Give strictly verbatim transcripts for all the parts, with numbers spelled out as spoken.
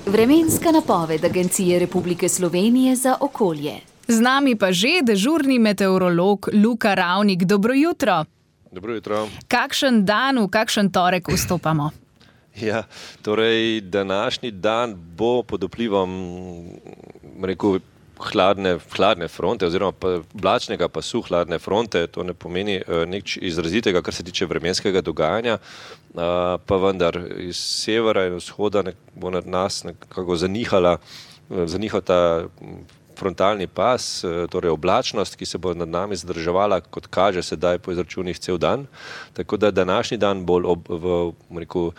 Vremenska napoved Agencije Republike Slovenije za okolje. Z nami pa že dežurni meteorolog Luka Ravnik. Dobro jutro. Dobro jutro. Kakšen dan, v kakšen torek vstopamo? Ja, torej današnji dan bo pod vplivom, rekel, hladne, hladne fronte oziroma pa oblačnega pasu hladne fronte. To ne pomeni uh, nič izrazitega, kar se tiče vremenskega dogajanja, uh, pa vendar iz severa in vzhoda nek, bo nad nas nekako zanihala, uh, zanihal ta frontalni pas, uh, torej oblačnost, ki se bo nad nami zadrževala, kot kaže sedaj po izračunih cel dan. Tako da današnji dan bolj ob, v, rekel,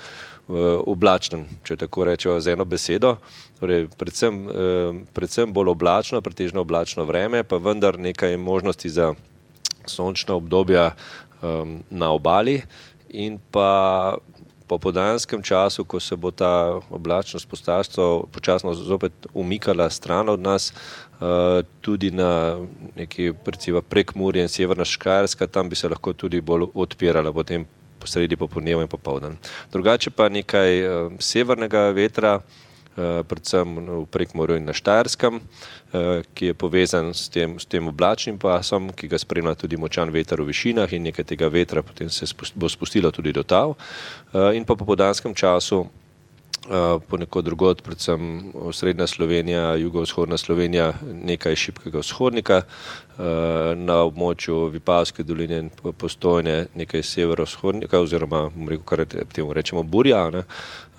oblačnem, če tako rečejo z eno besedo, torej predvsem, predvsem bolj oblačno, pretežno oblačno vreme, pa vendar nekaj možnosti za sončna obdobja um, na obali in pa po popoldanskem času, ko se bo ta oblačnost postastvo počasno zopet umikala stran od nas, uh, tudi na neki recimo Prekmurje in Severna Štajerska, tam bi se lahko tudi bolj odpirala potem sredi popoldneva in popoldan. Drugače pa nekaj uh, severnega vetra, uh, predvsem v Prekmurju in na Štajerskem, uh, ki je povezan s tem, s tem oblačnim pasom, ki ga spremlja tudi močan veter v višinah in nekaj tega vetra potem se spust, bo spustilo tudi do tal. Uh, in pa po popoldanskem času Uh, ponekod drugod, predvsem srednja Slovenija, jugovzhodna Slovenija, nekaj šibkega vzhodnika, uh, na območju Vipavske doline in Postojne nekaj severovzhodnika oziroma rekel, kar temu rečemo burja, ne?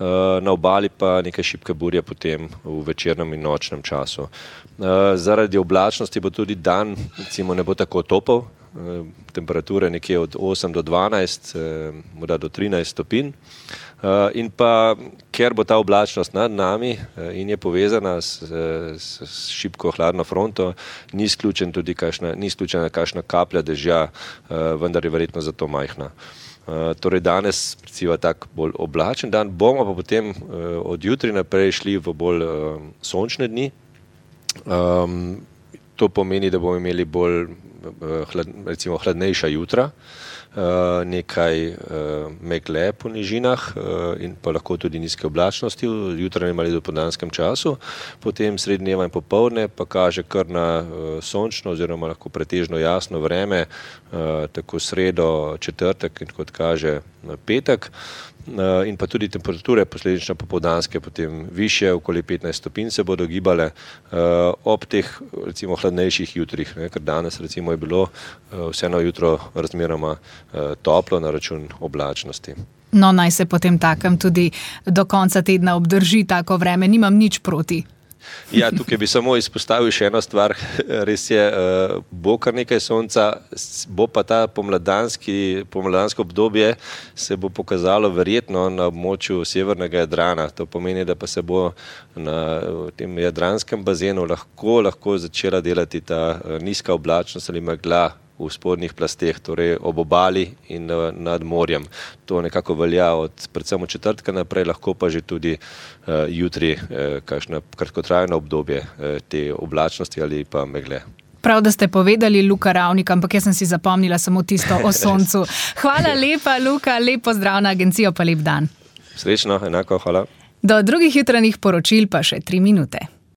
Uh, na obali pa nekaj šibke burje potem v večernem in nočnem času. Uh, zaradi oblačnosti bo tudi dan, recimo, ne bo tako topel, uh, temperature nekje od osem do dvanajst, uh, morda do trinajst stopinj. Uh, in pa, ker bo ta oblačnost nad nami uh, in je povezana s, s, s šibko hladno fronto, ni izključen tudi kakšna, ni izključena kakšna kaplja dežja, uh, vendar je verjetno zato majhna. Uh, torej danes recimo tak bolj oblačen dan, bomo pa potem uh, od jutri naprej šli v bolj uh, sončne dni. Um, to pomeni, da bomo imeli bolj uh, hlad, recimo hladnejša jutra, Uh, nekaj uh, megle po nižinah uh, in pa lahko tudi nizke oblačnosti v jutranjem ali dopoldanskem času. Potem sredi dneva in popoldne pa kaže kar na uh, sončno oziroma lahko pretežno jasno vreme, uh, tako sredo, četrtek in kot kaže petek. Uh, in pa tudi temperature posledično popoldanske potem višje, okoli petnajst stopinj se bodo gibale uh, ob teh recimo hladnejših jutrih, ne, ker danes recimo je bilo uh, vseeno jutro razmeroma uh, toplo na račun oblačnosti. No, naj se potem takem tudi do konca tedna obdrži tako vreme, nimam nič proti. Ja, tukaj bi samo izpostavil še eno stvar, res je, bo kar nekaj sonca, bo pa ta pomladanski, pomladansko obdobje se bo pokazalo verjetno na območju severnega Jadrana. To pomeni, da pa se bo na tem jadranskem bazenu lahko, lahko začela delati ta nizka oblačnost ali megla v spodnjih plasteh, torej ob obali in nad morjem. To nekako velja od predvsem od četrtka naprej, lahko pa že tudi uh, jutri uh, kakšno kratkotrajno obdobje uh, te oblačnosti ali pa megle. Prav, da ste povedali, Luka Ravnik, ampak jaz sem si zapomnila samo tisto o soncu. Hvala lepa, Luka, lep pozdrav na agencijo, pa lep dan. Srečno, enako, hvala. Do drugih jutranjih poročil pa še tri minute.